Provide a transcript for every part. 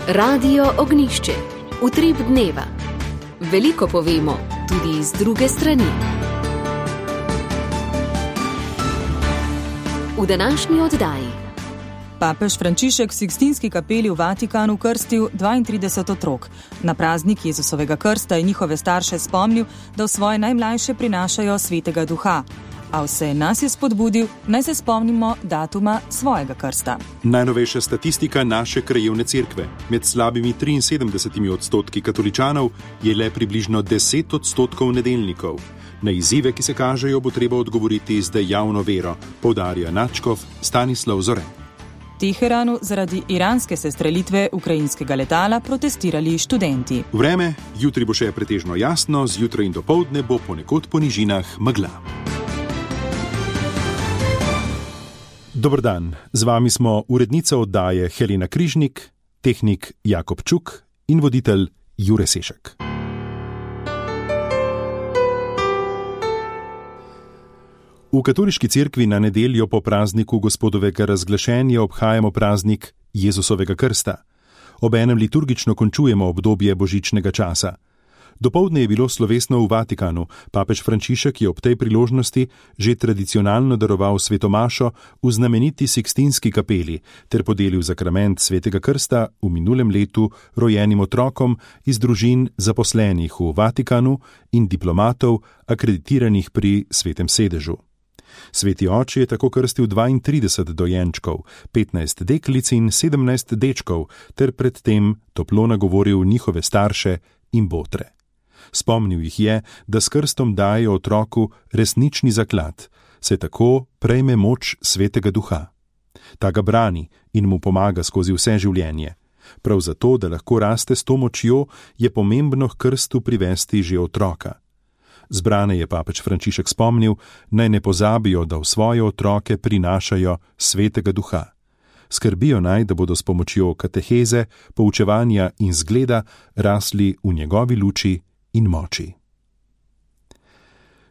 Radio Ognišče, utrip dneva. Veliko povemo, tudi iz druge strani. V današnji oddaji. Papež Frančišek v Sikstinski kapeli v Vatikanu krstil 32 otrok. Na praznik Jezusovega krsta je njihove starše spomnil, da v svoje najmlajše prinašajo Svetega Duha. A vse nas je spodbudil, naj se spomnimo datuma svojega krsta. Najnovejša statistika naše krajevne cerkve. Med slabimi 73% katoličanov je le približno 10% nedeljnikov. Na izzive, ki se kažejo, bo treba odgovoriti z dejavno vero, poudarja nadškof Stanislav Zore. V Teheranu zaradi iranske sestrelitve ukrajinskega letala protestirali študenti. Vreme, jutri bo še pretežno jasno, zjutraj in dopoldne bo ponekod po nižinah megla. Dober dan, z vami smo urednica oddaje Helena Križnik, tehnik Jakob Čuk in voditelj Jure Sešek. V katoliški cerkvi na nedeljo po prazniku Gospodovega razglašenja obhajamo praznik Jezusovega krsta. Obenem liturgično končujemo obdobje božičnega časa. Dopoldne je bilo slovesno v Vatikanu. Papež Frančišek je ob tej priložnosti že tradicionalno daroval svetomašo v znameniti Sikstinski kapeli ter podelil sakrament Svetega krsta v minulem letu rojenim otrokom iz družin zaposlenih v Vatikanu in diplomatov akreditiranih pri Svetem sedežu. Sveti oče je tako krstil 32 dojenčkov, 15 deklic in 17 dečkov ter predtem toplo nagovoril njihove starše in botre. Spomnil jih je, da s krstom daje otroku resnični zaklad, se tako prejme moč Svetega Duha. Ta ga brani in mu pomaga skozi vse življenje. Prav zato, da lahko raste s to močjo, je pomembno k krstu privesti že otroka. Zbrane je papež Frančišek spomnil, naj ne pozabijo, da v svoje otroke prinašajo Svetega Duha. Skrbijo naj, da bodo s pomočjo kateheze, poučevanja in zgleda rasli v njegovi luči in moči.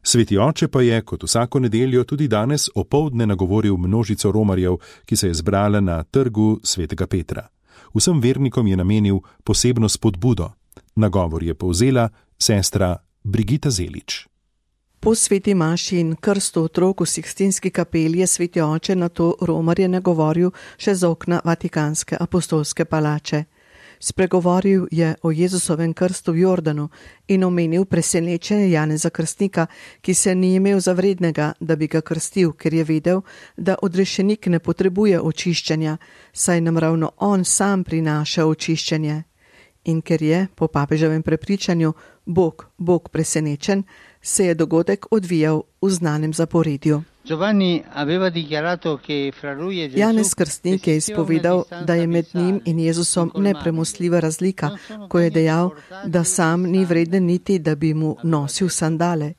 Sveti oče pa je, kot vsako nedeljo, tudi danes opoldne nagovoril množico romarjev, ki se je zbrala na trgu Svetega Petra. Vsem vernikom je namenil posebno spodbudo. Nagovor je povzela sestra Brigita Zelič. Po sveti maši in krstu otrok v Sikstinski kapeli je sveti oče na to romarje nagovoril še z okna Vatikanske apostolske palače. Spregovoril je o Jezusovem krstu v Jordanu in omenil presenečenje Janeza Krstnika, ki se ni imel za vrednega, da bi ga krstil, ker je vedel, da odrešenik ne potrebuje očiščenja, saj nam ravno on sam prinaša očiščenje. In ker je, po papeževem prepričanju, Bog presenečen, se je dogodek odvijal v znanem zaporedju. Janez Krstnik je izpovedal, da je med njim in Jezusom nepremostljiva razlika, ko je dejal, da sam ni vreden niti, da bi mu nosil sandale.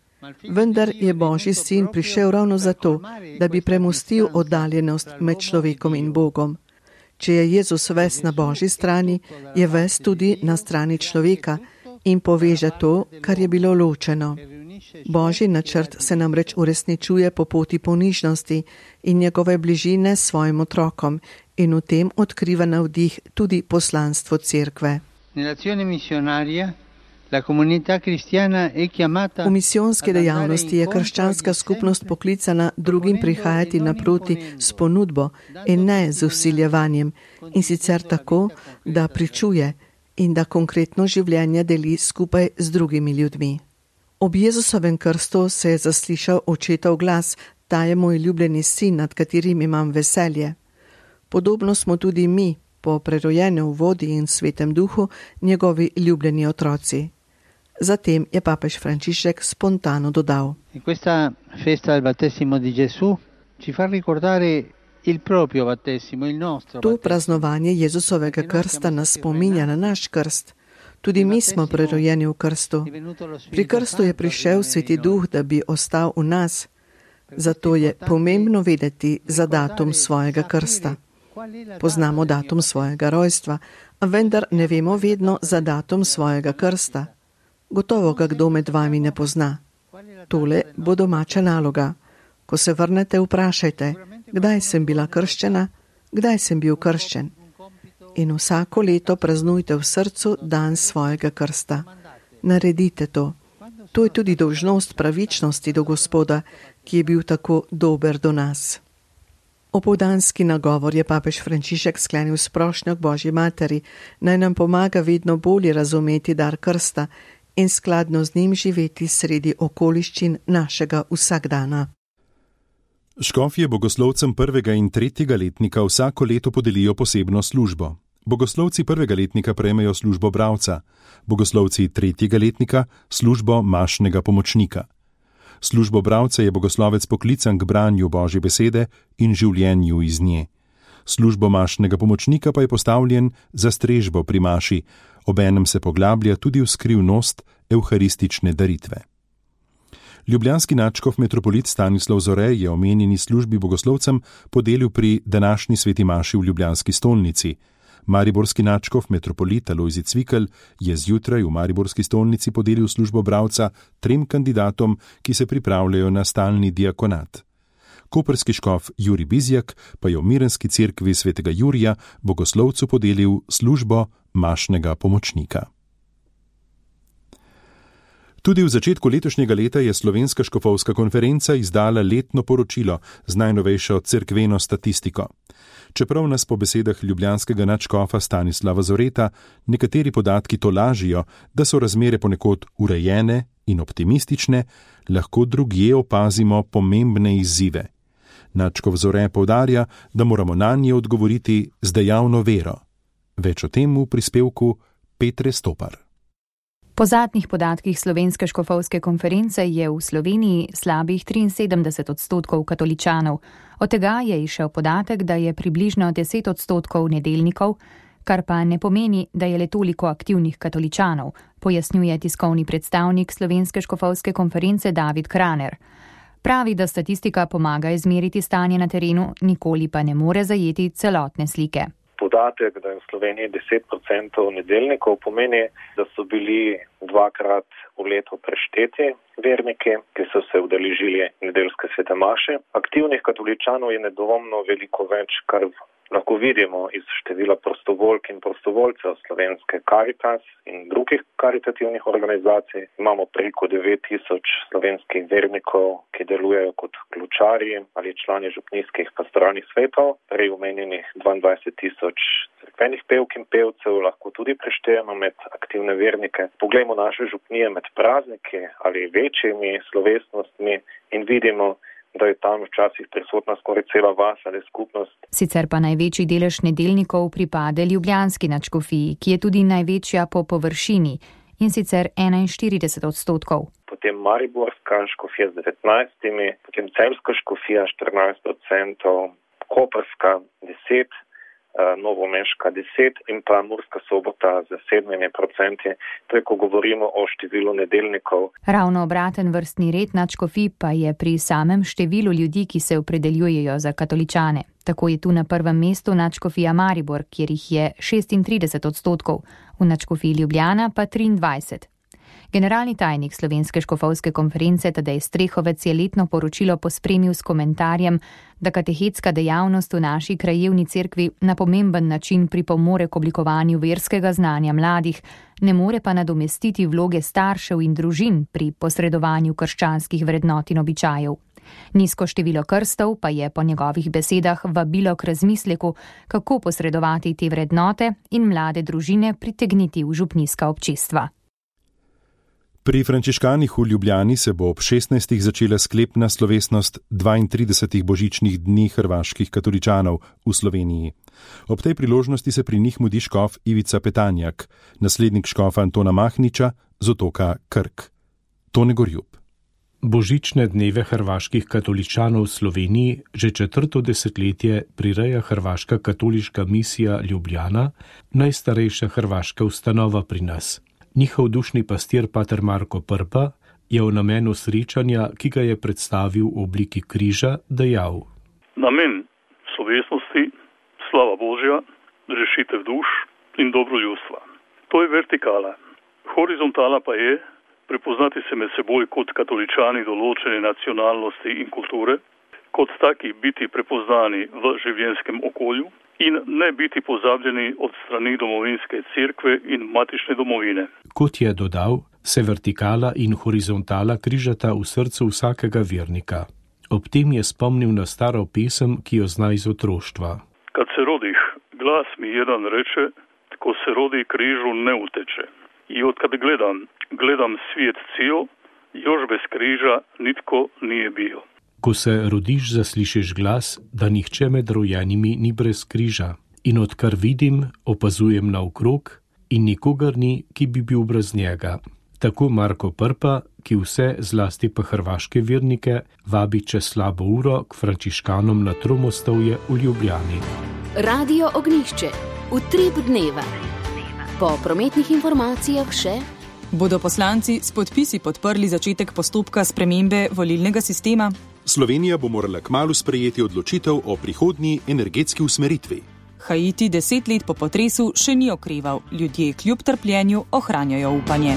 Vendar je Božji sin prišel ravno zato, da bi premostil oddaljenost med človekom in Bogom. Če je Jezus ves na Božji strani, je ves tudi na strani človeka in poveže to, kar je bilo ločeno. Božji načrt se namreč uresničuje po poti ponižnosti in njegove bližine s svojim otrokom in v tem odkriva navdih tudi poslanstvo cerkve. V misijonski dejavnosti je krščanska skupnost poklicana drugim prihajati naproti s ponudbo in ne z vsiljevanjem, in sicer tako, da pričuje in da konkretno življenje deli skupaj z drugimi ljudmi. Ob Jezusovem krstu se je zaslišal očetov glas: "Ta je moj ljubljeni sin, nad katerim imam veselje." Podobno smo tudi mi, po prerojenju v vodi in Svetem Duhu, njegovi ljubljeni otroci. Zatem je papež Frančišek spontano dodal: To praznovanje Jezusovega krsta nas spominja na naš krst. Tudi mi smo prerojeni v krstu. Pri krstu je prišel Sveti Duh, da bi ostal v nas. Zato je pomembno vedeti za datum svojega krsta. Poznamo datum svojega rojstva, a vendar ne vemo vedno za datum svojega krsta. Gotovo ga kdo med vami ne pozna. Tole bo domača naloga. Ko se vrnete, vprašajte, kdaj sem bila krščena, kdaj sem bil krščen. in vsako leto praznujte v srcu dan svojega krsta. Naredite to. To je tudi dolžnost pravičnosti do Gospoda, ki je bil tako dober do nas. Opoldanski nagovor je papež Frančišek sklenil s prošnjo k Božji materi, naj nam pomaga vedno bolje razumeti dar krsta in skladno z njim živeti sredi okoliščin našega vsakdana. Škofje bogoslovcem 1. in 3. letnika vsako leto podelijo posebno službo. Bogoslovci 1. letnika prejmejo službo bralca, bogoslovci 3. letnika službo mašnega pomočnika. Službo bralca je bogoslovec poklican k branju Božje besede in življenju iz nje. Službo mašnega pomočnika pa je postavljen za strežbo pri maši, obenem se poglablja tudi v skrivnost evharistične daritve. Ljubljanski nadškof metropolit Stanislav Zore je omenjeni službi bogoslovcem podelil pri današnji sveti maši v ljubljanski stolnici. Mariborski nadškof metropolit Alojzij Cvikl je zjutraj v mariborski stolnici podelil službo bralca 3 kandidatom, ki se pripravljajo na stalni diakonat. Koprski škof Jurij Bizjak pa je v Mirenski cerkvi svetega Jurija bogoslovcu podelil službo mašnega pomočnika. Tudi v začetku letošnjega leta je Slovenska škofovska konferenca izdala letno poročilo z najnovejšo cerkveno statistiko. Čeprav nas po besedah ljubljanskega nadškofa Stanislava Zoreta nekateri podatki tolažijo, da so razmere ponekod urejene in optimistične, lahko drugje opazimo pomembne izzive. Nadškof Zore poudarja, da moramo nanje odgovoriti z dejavno vero. Več o tem v prispevku Petre Stopar. Po zadnjih podatkih Slovenske škofovske konference je v Sloveniji slabih 73% katoličanov. Od tega je izšel podatek, da je približno 10% nedeljnikov, kar pa ne pomeni, da je le toliko aktivnih katoličanov, pojasnjuje tiskovni predstavnik Slovenske škofovske konference David Kraner. Pravi, da statistika pomaga izmeriti stanje na terenu, nikoli pa ne more zajeti celotne slike. Podatek, da je v Sloveniji 10% nedeljnikov, pomeni, da so bili 2-krat v letu prešteti verniki, ki so se udeležili nedeljske svete maše. Aktivnih katoličanov je nedvomno veliko več, kar lahko vidimo iz števila prostovoljk in prostovoljcev Slovenske Caritas in drugih karitativnih organizacij. Imamo preko 9000 slovenskih vernikov, ki delujejo kot ključarji ali člani župnijskih pastoralnih svetov. Prej omenjenih 22 000 cerkvenih pevk in pevcev lahko tudi preštejemo med aktivne vernike. Poglejmo naše župnije med prazniki ali večjimi slovesnostmi in vidimo, da je tam včasih prisotna skoraj cela vas ali skupnost. Sicer pa največji delež nedeljnikov pripade ljubljanski nadškofiji, ki je tudi največja po površini, in sicer 41%. Potem mariborska škofija z 19%, potem celjska škofija 14%, koprska 10%, novomeška 10% in pa Murska Sobota z 7%. To je, ko govorimo o številu nedeljnikov. Ravno obraten vrstni red nadškofij pa je pri samem številu ljudi, ki se opredeljujejo za katoličane. Tako je tu na prvem mestu nadškofija Maribor, kjer jih je 36%, v nadškofiji Ljubljana pa 23%. Generalni tajnik Slovenske škofovske konference Tadej Strehovec je letno poročilo pospremil s komentarjem, da katehetska dejavnost v naši krajevni cerkvi na pomemben način pripomore k oblikovanju verskega znanja mladih, ne more pa nadomestiti vloge staršev in družin pri posredovanju krščanskih vrednot in običajev. Nizko število krstov pa je po njegovih besedah vabilo k razmisleku, kako posredovati te vrednote in mlade družine pritegniti v župnijska občestva. Pri frančiškanih v Ljubljani se bo ob 16. začela sklepna slovesnost 32 božičnih dni hrvaških katoličanov v Sloveniji. Ob tej priložnosti se pri njih mudi škof Ivica Petanjak, naslednik škofa Antona Mahniča z otoka Krk. Tone Gorjub. Božične dneve hrvaških katoličanov v Sloveniji že 4. desetletje prireja Hrvaška katoliška misija Ljubljana, najstarejša hrvaška ustanova pri nas. Njihov dušni pastir pater Marko Prpa je v namenu srečanja, ki ga je predstavil v obliki križa, dejal: Namen slovesnosti, slava Božja, rešitev duš in dobro ljudstva. To je vertikala. Horizontala pa je prepoznati se med seboj kot katoličani določene nacionalnosti in kulture, kot taki biti prepoznani v življenjskem okolju in ne biti pozabljeni od strani domovinske cerkve in matične domovine. Kot je dodal, se vertikala in horizontala križata v srcu vsakega vernika. Ob tem je spomnil na staro pesem, ki jo zna iz otroštva. Kad se rodih, glas mi jedan reče, ko se rodi križu ne uteče. I odkad gledam svijet cijel, još bez križa nitko nije bio. Ko se rodiš, zaslišiš glas, da nihče med rojenimi ni brez križa. In odkar vidim, opazujem naokrog in nikogar ni, ki bi bil brez njega. Tako Marko Prpa, ki vse, zlasti pa hrvaške vernike, vabi čez slabo uro k frančiškanom na Tromostovje v Ljubljani. Radio Ognjišče. Utrip dneva. Po prometnih informacijah še: bodo poslanci s podpisi podprli začetek postopka spremembe volilnega sistema? Slovenija bo morala kmalu sprejeti odločitev o prihodnji energetski usmeritvi. Haiti 10 let po potresu še ni okreval. Ljudje kljub trpljenju ohranjajo upanje.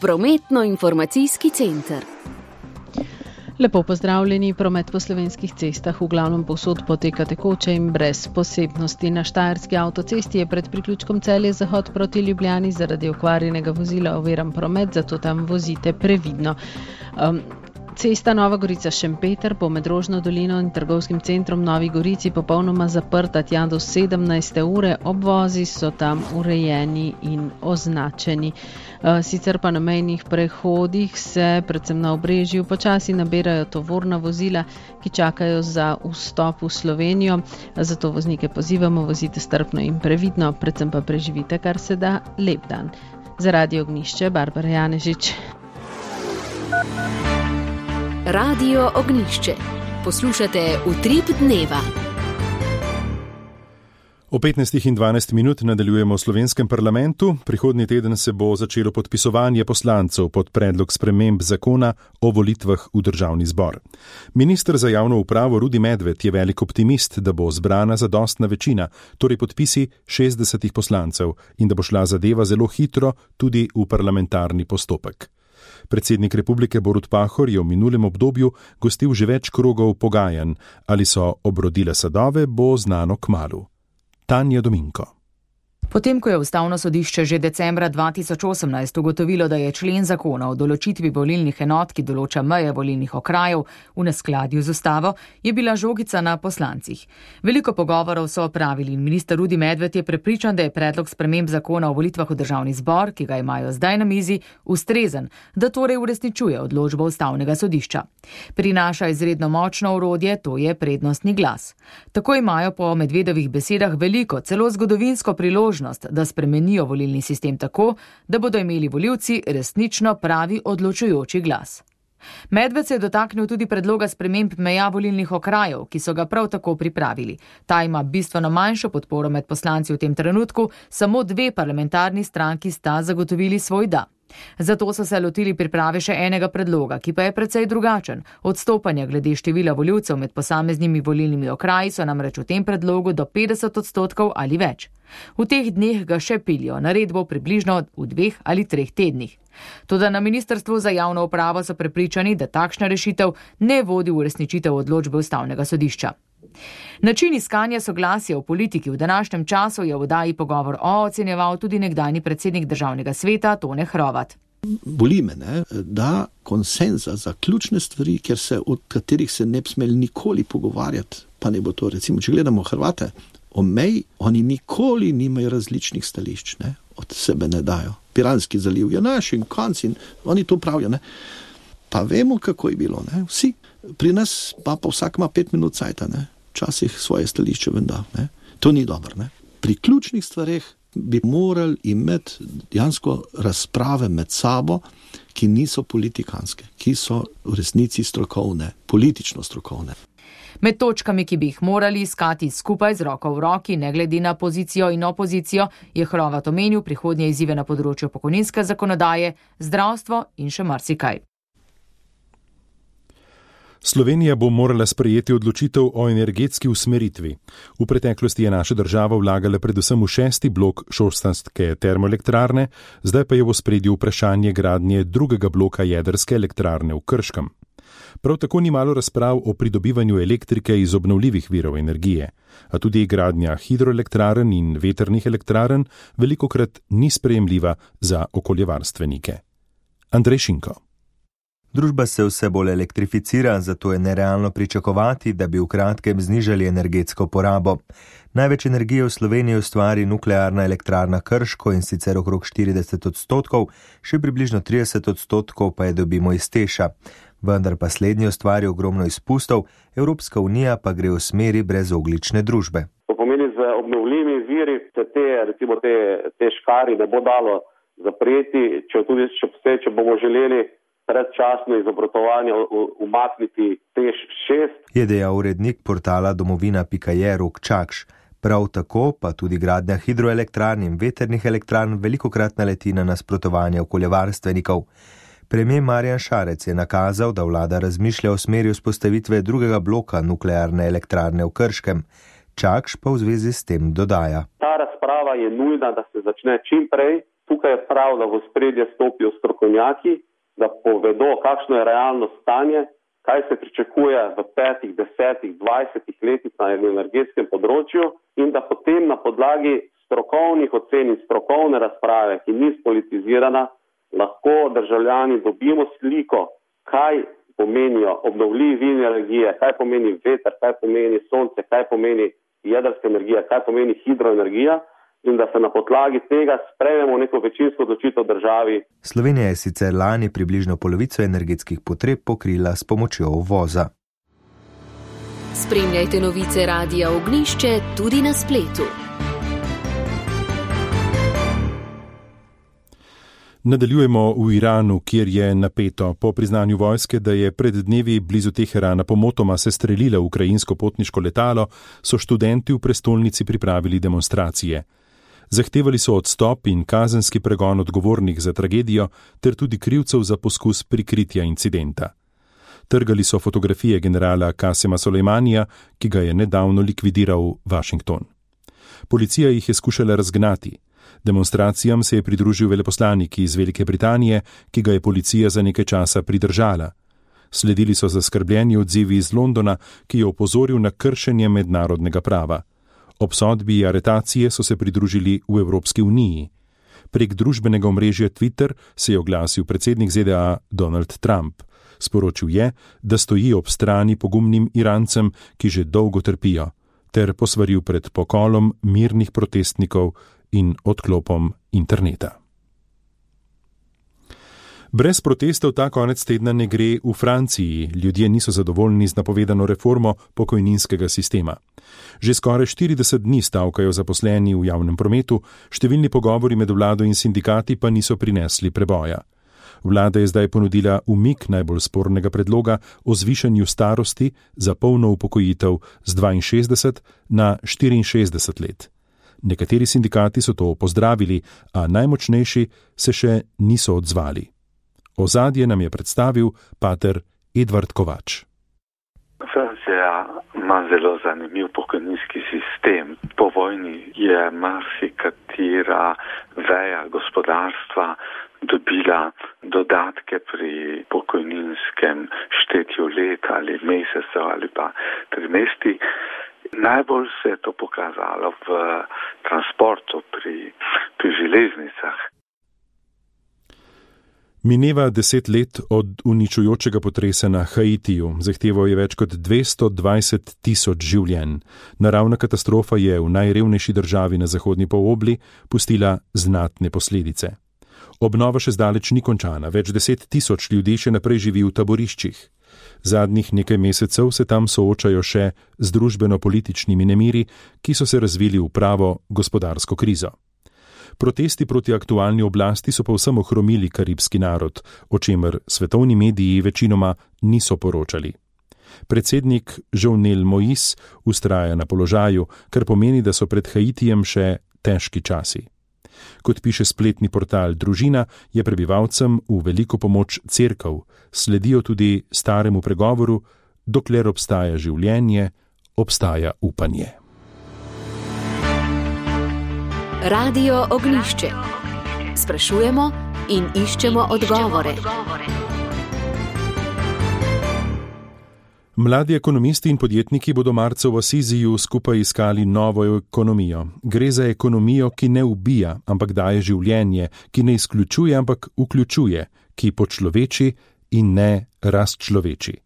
Prometno-informacijski center. Lepo pozdravljeni, promet po slovenskih cestah v glavnem povsod poteka tekoče in brez posebnosti. Na Štajerski avtocesti je pred priključkom Celje-Zahod proti Ljubljani zaradi okvarjenega vozila oviran promet, zato tam vozite previdno. Cesta Nova Gorica-Šempeter po Medrožno dolino in trgovskim centrom Novi Gorici popolnoma zaprta tja do 17. ure, obvozi so tam urejeni in označeni. Sicer pa na mejnih prehodih se, predvsem na Obrežju, počasi nabirajo tovorna vozila, ki čakajo za vstop v Slovenijo. Zato voznike pozivamo, vozite strpno in previdno, predvsem pa preživite kar se da lep dan. Za Radio Ognjišče, Barbara Janežič. Radio Ognjišče. Poslušate Utrip dneva. O 15 in 12 minut nadaljujemo v slovenskem parlamentu. Prihodnji teden se bo začelo podpisovanje poslancev pod predlog sprememb zakona o volitvah v državni zbor. Minister za javno upravo Rudi Medved je velik optimist, da bo zbrana zadostna večina, torej podpisi 60 poslancev, in da bo šla zadeva zelo hitro tudi v parlamentarni postopek. Predsednik republike Borut Pahor je v minulem obdobju gostil že več krogov pogajanj. Ali so obrodile sadove, bo znano kmalu. Tanja Dominko. Potem, ko je Ustavno sodišče že decembra 2018 ugotovilo, da je člen zakona o določitvi volilnih enot, ki določa meje volilnih okrajev, v neskladju z ustavo, je bila žogica na poslancih. Veliko pogovorov so opravili in minister Rudi Medved je prepričan, da je predlog sprememb zakona o volitvah v državni zbor, ki ga imajo zdaj na mizi, ustrezen, da torej uresničuje odločbo Ustavnega sodišča. Prinaša izredno močno orodje, to je prednostni glas. Tako imajo po Medvedovih besedah veliko, celo zgodovinsko priložnost, da spremenijo volilni sistem tako, da bodo imeli volivci resnično pravi odločujoči glas. Medved se je dotaknil tudi predloga sprememb meja volilnih okrajev, ki so ga prav tako pripravili. Ta ima bistveno manjšo podporo med poslanci v tem trenutku, samo 2 parlamentarni stranki sta zagotovili svoj da. Zato so se lotili priprave še enega predloga, ki pa je precej drugačen. Odstopanja glede števila volivcev med posameznimi volilnimi okraji so namreč v tem predlogu do 50% ali več. V teh dneh ga še pilijo, naredbo približno v 2 ali 3 tednih. Toda na Ministrstvu za javno upravo so prepričani, da takšna rešitev ne vodi v uresničitev odločbe Ustavnega sodišča. Način iskanja soglasja v politiki v današnjem času je v oddaji Pogovor ocenjeval tudi nekdanji predsednik Državnega sveta Tone Hrovat. Boli me, da konsenza za ključne stvari, od katerih se ne bi smeli nikoli pogovarjati, pa ne bo to, recimo, če gledamo Hrvate, o meji, oni nikoli nimajo različnih stališč, od sebe ne dajo. Piranski zaliv je naš in konc in oni to pravijo, Pa vemo, kako je bilo, vsi. Pri nas pa vsak ima 5 minut cajta, Včasih svoje stališče venda, To ni dobro, Pri ključnih stvareh bi morali imeti dejansko razprave med sabo, ki niso politikanske, ki so v resnici strokovne, politično strokovne. Med točkami, ki bi jih morali iskati skupaj z roko v roki, ne glede na pozicijo in opozicijo, je Hrovat omenil prihodnje izzive na področju pokojninske zakonodaje, zdravstvo in še marsikaj. Slovenija bo morala sprejeti odločitev o energetski usmeritvi. V preteklosti je naša država vlagala predvsem v 6. blok šoštanjske termoelektrarne, zdaj pa je v ospredju vprašanje gradnje 2. bloka jedrske elektrarne v Krškem. Prav tako ni malo razprav o pridobivanju elektrike iz obnovljivih virov energije, a tudi gradnja hidroelektrarn in vetrnih elektrarn velikokrat ni sprejemljiva za okoljevarstvenike. Andrej Šinko. Družba se vse bolj elektrificira, zato je nerealno pričakovati, da bi v kratkem znižali energetsko porabo. Največ energije v Sloveniji ustvari nuklearna elektrarna Krško, in sicer okrog 40%, še približno 30% pa je dobimo iz Teša. Vendar pa slednji ustvari ogromno izpustov, Evropska unija pa gre v smeri brezogljične družbe. To pomeni, z obnovljivimi viri te škari ne bo dalo zapreti, če bomo želeli predčasno iz obratovanja umakniti Teš 6. Je dejal urednik portala domovina.je Rok Čakš. Prav tako pa tudi gradnja hidroelektrarn in vetrnih elektrarn velikokrat naleti na nasprotovanje okoljevarstvenikov. Premijer Marjan Šarec je nakazal, da vlada razmišlja o smeri vzpostavitve drugega bloka nuklearne elektrarne v Krškem. Čakš pa v zvezi s tem dodaja. Ta razprava je nujna, da se začne čim prej. Tukaj je prav, da v ospredje stopijo strokovnjaki, da povedo, kakšno je realno stanje, kaj se pričakuje v 5, 10, 20 letih na energetskem področju in da potem na podlagi strokovnih ocen in strokovne razprave, ki ni spolitizirana, lahko državljani dobimo sliko, kaj pomenijo obnovljivi viri energije, kaj pomeni veter, kaj pomeni sonce, kaj pomeni jedrska energija, kaj pomeni hidroenergija, in da se na podlagi tega sprejmemo neko večinsko odločitev državi. Slovenija je sicer lani približno polovico energetskih potreb pokrila s pomočjo uvoza. Spremljajte novice Radia Ognjišče tudi na spletu. Nadaljujemo v Iranu, kjer je napeto. Po priznanju vojske, da je pred dnevi blizu Teherana pomotoma sestrelila ukrajinsko potniško letalo, so študenti v prestolnici pripravili demonstracije. Zahtevali so odstop in kazenski pregon odgovornih za tragedijo ter tudi krivcev za poskus prikritja incidenta. Trgali so fotografije generala Kasema Solejmanija, ki ga je nedavno likvidiral Washington. Policija jih je skušala razgnati. Demonstracijam se je pridružil veleposlanik iz Velike Britanije, ki ga je policija za nekaj časa pridržala. Sledili so zaskrbljeni odzivi iz Londona, ki je opozoril na kršenje mednarodnega prava. Obsodbi aretacije so se pridružili v Evropski uniji. Prek družbenega omrežja Twitter se je oglasil predsednik ZDA Donald Trump. Sporočil je, da stoji ob strani pogumnim Irancem, ki že dolgo trpijo, ter posvaril pred pokolom mirnih protestnikov in odklopom interneta. Brez protestov ta konec tedna ne gre v Franciji. Ljudje niso zadovoljni z napovedano reformo pokojninskega sistema. Že skoraj 40 dni stavkajo zaposleni v javnem prometu, številni pogovori med vlado in sindikati pa niso prinesli preboja. Vlada je zdaj ponudila umik najbolj spornega predloga o zvišanju starosti za polno upokojitev z 62 na 64 let. Nekateri sindikati so to pozdravili, a najmočnejši se še niso odzvali. Ozadje nam je predstavil pater Edvard Kovač. Francija ima zelo zanimiv pokojninski sistem. Po vojni je marsikatera veja gospodarstva dobila dodatke pri pokojninskem štetju let ali mesecev ali pa trimestri. Najbolj se je to pokazalo v transportu pri železnicah. Mineva 10 let od uničujočega potresa na Haitiju. Zahteval je več kot 220 tisoč življenj. Naravna katastrofa je v najrevnejši državi na zahodni polobli pustila znatne posledice. Obnova še zdaleč ni končana. Več 10 tisoč ljudi še naprej živi v taboriščih. Zadnjih nekaj mesecev se tam soočajo še z družbeno-političnimi nemiri, ki so se razvili v pravo gospodarsko krizo. Protesti proti aktualni oblasti so povsem ohromili karibski narod, o čemer svetovni mediji večinoma niso poročali. Predsednik Jovenel Moïse vztraja na položaju, kar pomeni, da so pred Haitijem še težki časi. Kot piše spletni portal Družina, je prebivalcem v veliko pomoč cerkev, sledijo tudi staremu pregovoru: dokler obstaja življenje, obstaja upanje. Radio Ognjišče. Sprašujemo in iščemo odgovore. Mladi ekonomisti in podjetniki bodo marca v Asiziju skupaj iskali novo ekonomijo. Gre za ekonomijo, ki ne ubija, ampak daje življenje, ki ne izključuje, ampak vključuje, ki počloveči in ne razčloveči.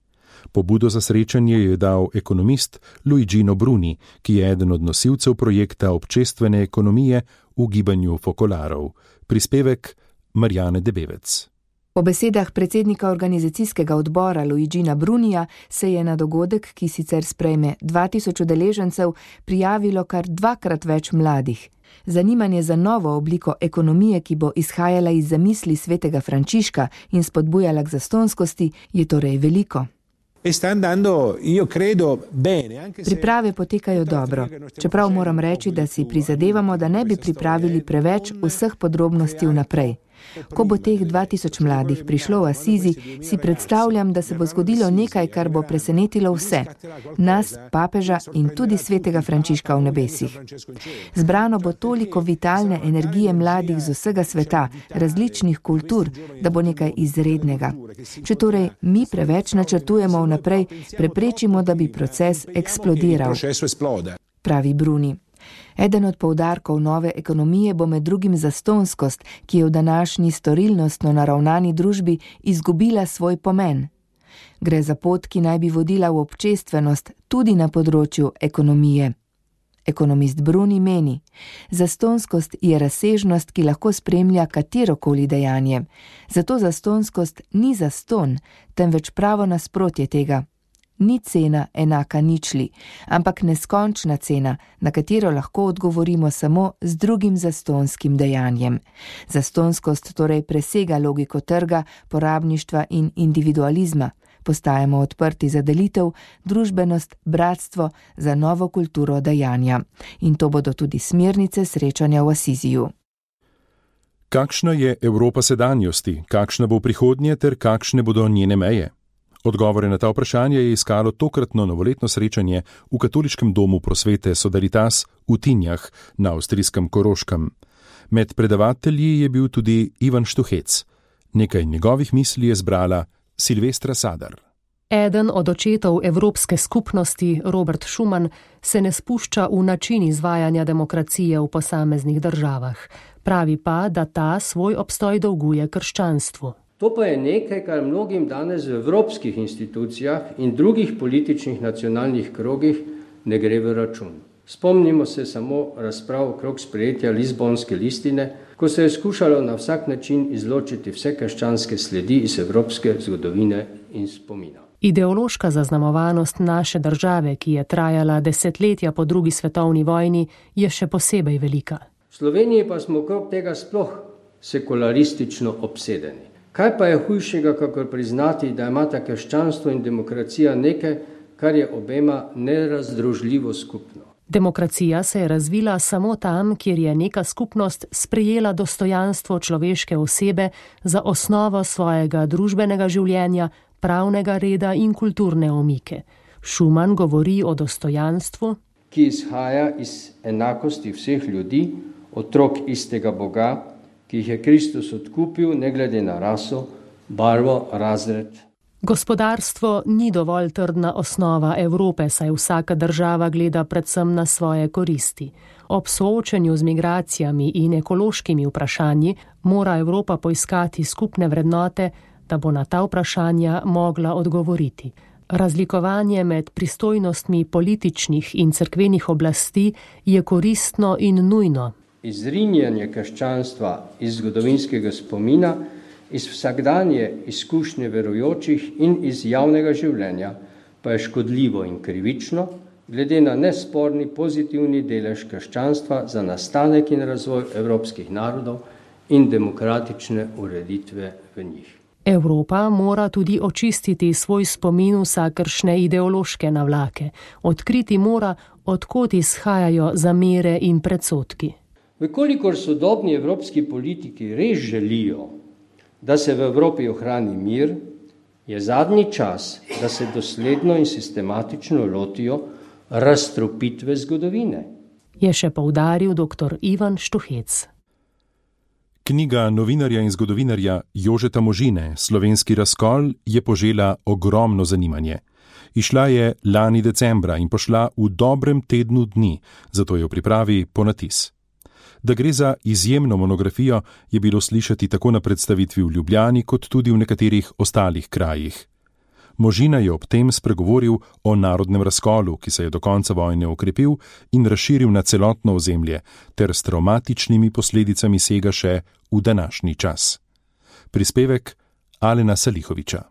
Pobudo za srečanje je dal ekonomist Luigino Bruni, ki je eden od nosilcev projekta občestvene ekonomije v gibanju Fokolarov. Prispevek Marjane Debevec. Po besedah predsednika organizacijskega odbora Luigina Brunija se je na dogodek, ki sicer sprejme 2000 udeležencev, prijavilo kar 2-krat več mladih. Zanimanje za novo obliko ekonomije, ki bo izhajala iz zamisli svetega Frančiška in spodbujala k zastonskosti, je torej veliko. Priprave potekajo dobro, čeprav moram reči, da si prizadevamo, da ne bi pripravili preveč vseh podrobnosti vnaprej. Ko bo teh 2000 mladih prišlo v Asizi, si predstavljam, da se bo zgodilo nekaj, kar bo presenetilo vse, nas, papeža in tudi svetega Frančiška v nebesih. Zbrano bo toliko vitalne energije mladih z vsega sveta, različnih kultur, da bo nekaj izrednega. Če torej mi preveč načrtujemo vnaprej, preprečimo, da bi proces eksplodiral, pravi Bruni. Eden od poudarkov nove ekonomije bo med drugim zastonskost, ki je v današnji storilnostno naravnani družbi izgubila svoj pomen. Gre za pot, ki naj bi vodila v občestvenost tudi na področju ekonomije. Ekonomist Bruni meni, zastonskost je razsežnost, ki lahko spremlja katerokoli dejanje. Zato zastonskost ni zaston, temveč pravo nasprotje tega. Ni cena enaka ničli, ampak neskončna cena, na katero lahko odgovorimo samo z drugim zastonskim dejanjem. Zastonskost torej presega logiko trga, porabništva in individualizma. Postajamo odprti za delitev, družbenost, bratstvo, za novo kulturo dejanja. In to bodo tudi smernice srečanja v Asiziju. Kakšna je Evropa sedanjosti, kakšna bo prihodnje ter kakšne bodo njene meje? Odgovore na ta vprašanje je iskalo tokratno novoletno srečanje v Katoliškem domu prosvete Solidaritas v Tinjah na avstrijskem Koroškem. Med predavatelji je bil tudi Ivan Štuhec. Nekaj njegovih misli je zbrala Silvestra Sadar. Eden od očetov Evropske skupnosti, Robert Schuman, se ne spušča v način izvajanja demokracije v posameznih državah. Pravi pa, da ta svoj obstoj dolguje krščanstvu. To pa je nekaj, kar mnogim danes v evropskih institucijah in drugih političnih nacionalnih krogih ne gre v račun. Spomnimo se samo razprav okrog sprejetja Lizbonske listine, ko se je skušalo na vsak način izločiti vse krščanske sledi iz evropske zgodovine in spomina. Ideološka zaznamovanost naše države, ki je trajala desetletja po drugi svetovni vojni, je še posebej velika. V Sloveniji pa smo okrog tega sploh sekularistično obsedeni. Kaj pa je hujšega, kakor priznati, da imata krščanstvo in demokracija nekaj, kar je obema nerazdružljivo skupno? Demokracija se je razvila samo tam, kjer je neka skupnost sprejela dostojanstvo človeške osebe za osnovo svojega družbenega življenja, pravnega reda in kulturne omike. Schuman govori o dostojanstvu, ki izhaja iz enakosti vseh ljudi, otrok istega Boga, ki jih je Kristus odkupil ne glede na raso, barvo, razred. Gospodarstvo ni dovolj trdna osnova Evrope, saj vsaka država gleda predvsem na svoje koristi. Ob soočenju z migracijami in ekološkimi vprašanji mora Evropa poiskati skupne vrednote, da bo na ta vprašanja mogla odgovoriti. Razlikovanje med pristojnostmi političnih in cerkvenih oblasti je koristno in nujno. Izrinjanje krščanstva iz zgodovinskega spomina, iz vsakdanje izkušnje verujočih in iz javnega življenja pa je škodljivo in krivično, glede na nesporni pozitivni delež krščanstva za nastanek in razvoj evropskih narodov in demokratične ureditve v njih. Evropa mora tudi očistiti svoj spomin vsakršne ideološke navlake, odkriti mora, od kod izhajajo zamere in predsodki. Vkolikor sodobni evropski politiki res želijo, da se v Evropi ohrani mir, je zadnji čas, da se dosledno in sistematično lotijo razstropitve zgodovine. Je še poudaril dr. Ivan Štuhec. Knjiga novinarja in zgodovinarja Jožeta Možine, Slovenski razkol, je požela ogromno zanimanje. Išla je lani decembra in pošla v dobrem tednu dni, zato je v pripravi ponatis. Da gre za izjemno monografijo, je bilo slišati tako na predstavitvi v Ljubljani, kot tudi v nekaterih ostalih krajih. Možina je ob tem spregovoril o narodnem razkolu, ki se je do konca vojne okrepil in razširil na celotno ozemlje, ter s travmatičnimi posledicami sega še v današnji čas. Prispevek Alena Salihoviča.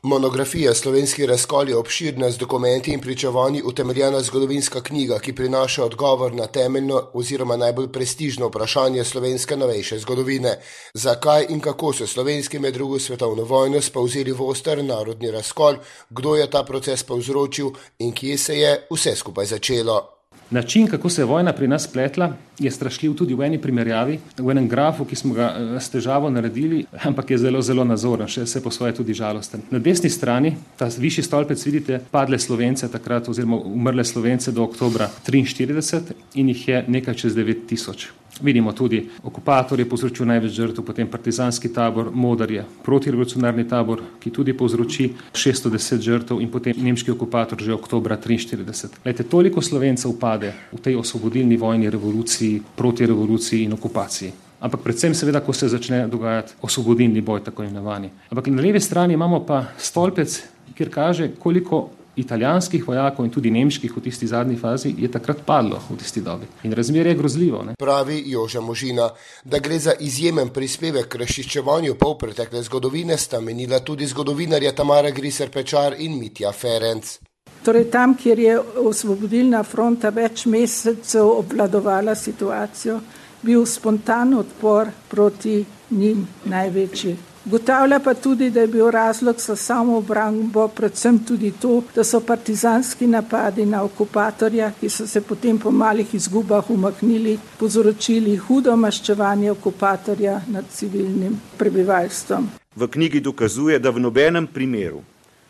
Monografija Slovenski razkol je obširna z dokumenti in pričevanji utemeljena zgodovinska knjiga, ki prinaša odgovor na temeljno oziroma najbolj prestižno vprašanje slovenske novejše zgodovine. Zakaj in kako so slovenski med drugo svetovno vojno spavzeli v oster narodni razkol, kdo je ta proces povzročil in kje se je vse skupaj začelo. Način, kako se je vojna pri nas spletla, je strašljiv tudi v eni primerjavi, v enem grafu, ki smo ga s težavo naredili, ampak je zelo, zelo nazoren, še se po svoje tudi žalosten. Na desni strani, ta višji stolpec, vidite padle Slovence takrat oziroma umrle Slovence do oktobra 1943 in jih je nekaj čez 9000. Vidimo tudi, okupator je povzročil največ žrtev, potem partizanski tabor, Modar je protirevolucionarni tabor, ki tudi povzroči 610 žrtev in potem nemški okupator že oktobra 1943. Glejte, toliko Slovencev pade v tej osvobodilni vojni, revoluciji, protirevoluciji in okupaciji. Ampak predvsem seveda, ko se začne dogajati osvobodilni boj, tako imenovani. Ampak na levi strani imamo pa stolpec, kjer kaže, koliko italijanskih vojakov in tudi nemških v tisti zadnji fazi je takrat padlo v tisti dobi. In razmerje je grozljivo. Ne? Pravi Joža Možina, da gre za izjemen prispevek k razčiščevanju polpretekle zgodovine, sta menila tudi zgodovinarja Tamara Griser-Pečar in Mitja Ferenc. Torej tam, kjer je osvobodilna fronta več mesecev obvladovala situacijo, bil spontan odpor proti njim največji. Ugotavlja pa tudi, da je bil razlog za samoobrambo predvsem tudi to, da so partizanski napadi na okupatorja, ki so se potem po malih izgubah umaknili, povzročili hudo maščevanje okupatorja nad civilnim prebivalstvom. V knjigi dokazuje, da v nobenem primeru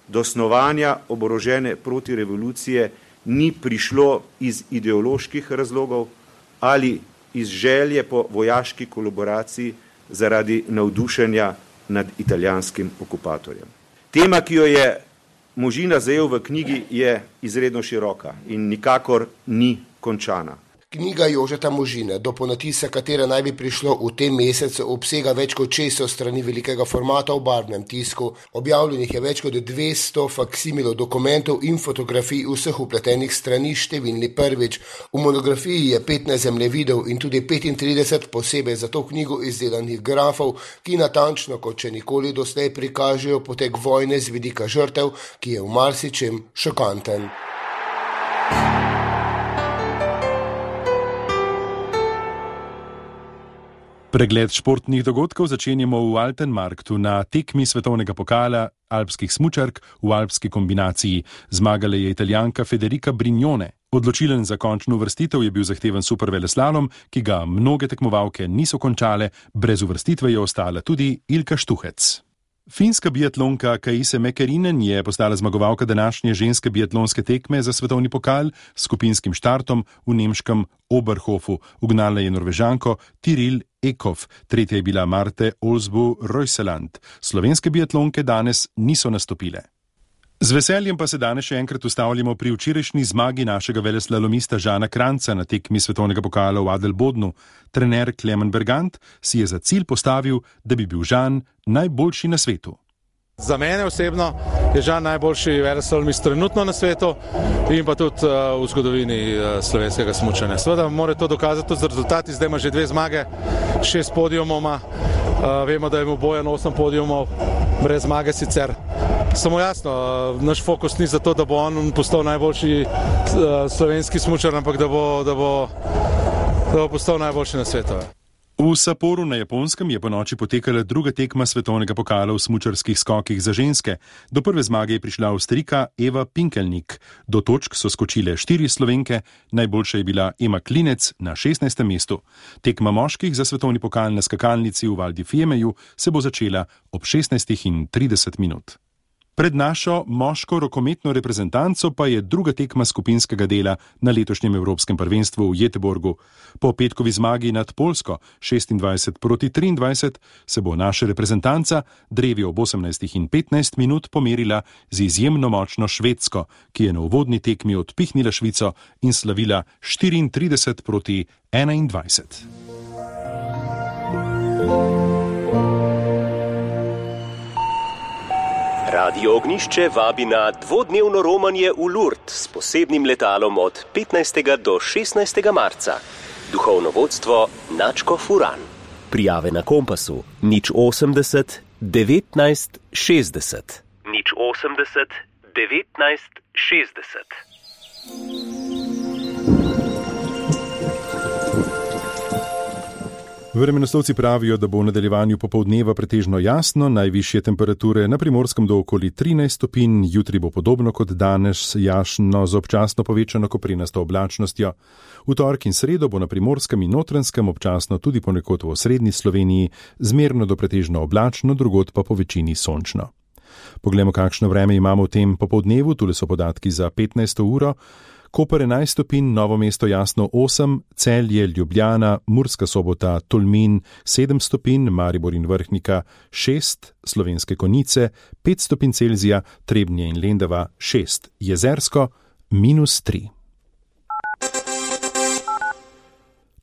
do snovanja oborožene protirevolucije ni prišlo iz ideoloških razlogov ali iz želje po vojaški kolaboraciji zaradi navdušenja nad italijanskim okupatorjem. Tema, ki jo je Možina zajel v knjigi, je izredno široka in nikakor ni končana. Knjiga Jožeta Možine, do ponatisa katere naj bi prišlo v tem mesecu, obsega več kot 600 strani velikega formata v barvnem tisku. Objavljenih je več kot 200 faksimilov dokumentov in fotografij vseh upletenih strani, številni prvič. V monografiji je 15 zemljevidov in tudi 35 posebej za to knjigo izdelanih grafov, ki natančno kot še nikoli doslej prikažejo potek vojne z vidika žrtev, ki je v marsičem šokanten. Pregled športnih dogodkov začenjamo v Altenmarktu na tekmi svetovnega pokala alpskih smučark v alpski kombinaciji. Zmagala je Italijanka Federica Brignone. Odločilen za končno uvrstitev je bil zahteven superveleslalom, ki ga mnoge tekmovalke niso končale, brez uvrstitve je ostala tudi Ilka Štuhec. Finska biatlonka Kaise Mäkinen je postala zmagovalka današnje ženske biatlonske tekme za svetovni pokal s skupinskim štartom v nemškem Oberhofu. Ugnala je Norvežanko Tiril Ekhof, tretja je bila Marte Olsbu-Reuseland. Slovenske biatlonke danes niso nastopile. Z veseljem pa se danes še enkrat ustavljamo pri včerajšnji zmagi našega veleslalomista Žana Kranjca na tekmi svetovnega pokala v Adelbodnu. Trener Klemen Bergant si je za cilj postavil, da bi bil Žan najboljši na svetu. Za mene osebno je Žan najboljši veleslalomist trenutno na svetu in pa tudi v zgodovini slovenskega smučanja. Seveda mora to dokazati tudi z rezultati, zdaj ima že 2 zmage, 6 podijumov ima, vemo, da je mu Bojan 8 podijumov, brez zmage sicer. Samo jasno, naš fokus ni za to, da bo on postal najboljši slovenski smučar, ampak da bo postal najboljši na svetu. V Sapporu na Japonskem je ponoči potekala druga tekma svetovnega pokala v smučarskih skokih za ženske. Do prve zmage je prišla Avstrijka Eva Pinkelnik. Do točk so skočile 4 Slovenke, najboljša je bila Ema Klinec na 16. mestu. Tekma moških za svetovni pokal na skakalnici v Val di Fiemeju se bo začela ob 16:30. Pred našo moško rokometno reprezentanco pa je druga tekma skupinskega dela na letošnjem Evropskem prvenstvu v Göteborgu. Po petkovi zmagi nad Poljsko 26-23 se bo naša reprezentanca drevi ob 18 in 15 minut pomerila z izjemno močno Švedsko, ki je na uvodni tekmi odpihnila Švico in slavila 34-21. Radio Ognišče vabi na dvodnevno romanje v Lourdes s posebnim letalom od 15. do 16. marca. Duhovno vodstvo Načko Furan. Prijave na Kompasu 080 19 60. 080 19 60. Vremenoslovci pravijo, da bo v nadaljevanju popoldneva pretežno jasno, najvišje temperature na Primorskem do okoli 13 stopinj, jutri bo podobno kot danes, jasno z občasno povečano koprenasto oblačnostjo. V torek in sredo bo na Primorskem in Notranjskem občasno tudi ponekod v osrednji Sloveniji zmerno do pretežno oblačno, drugod pa po večini sončno. Poglejmo, kakšno vreme imamo v tem popoldnevu, tule so podatki za 15. uro. Koper 11 stopinj, Novo mesto jasno 8, Celje, Ljubljana, Murska Sobota, Tolmin 7 stopinj, Maribor in Vrhnika 6, Slovenske Konjice 5 stopinj Celzija, Trebnje in Lendava 6, Jezersko -3.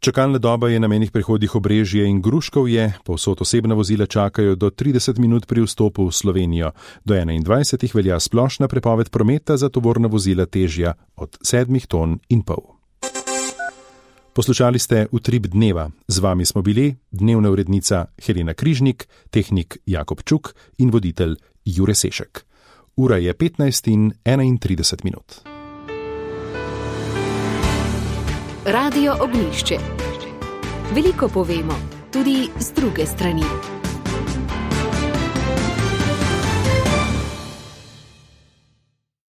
Čakalna doba je na mejnih prehodih Obrežje in Gruškovje, povsod osebna vozila čakajo do 30 minut pri vstopu v Slovenijo. Do 21 velja splošna prepoved prometa za tovorna vozila težja od 7,5 ton. Poslušali ste Utrip dneva. Z vami smo bili dnevna urednica Helena Križnik, tehnik Jakob Čuk in voditelj Jure Sešek. Ura je 15:31 minut. Radio Ognišče. Veliko povemo, tudi z druge strani.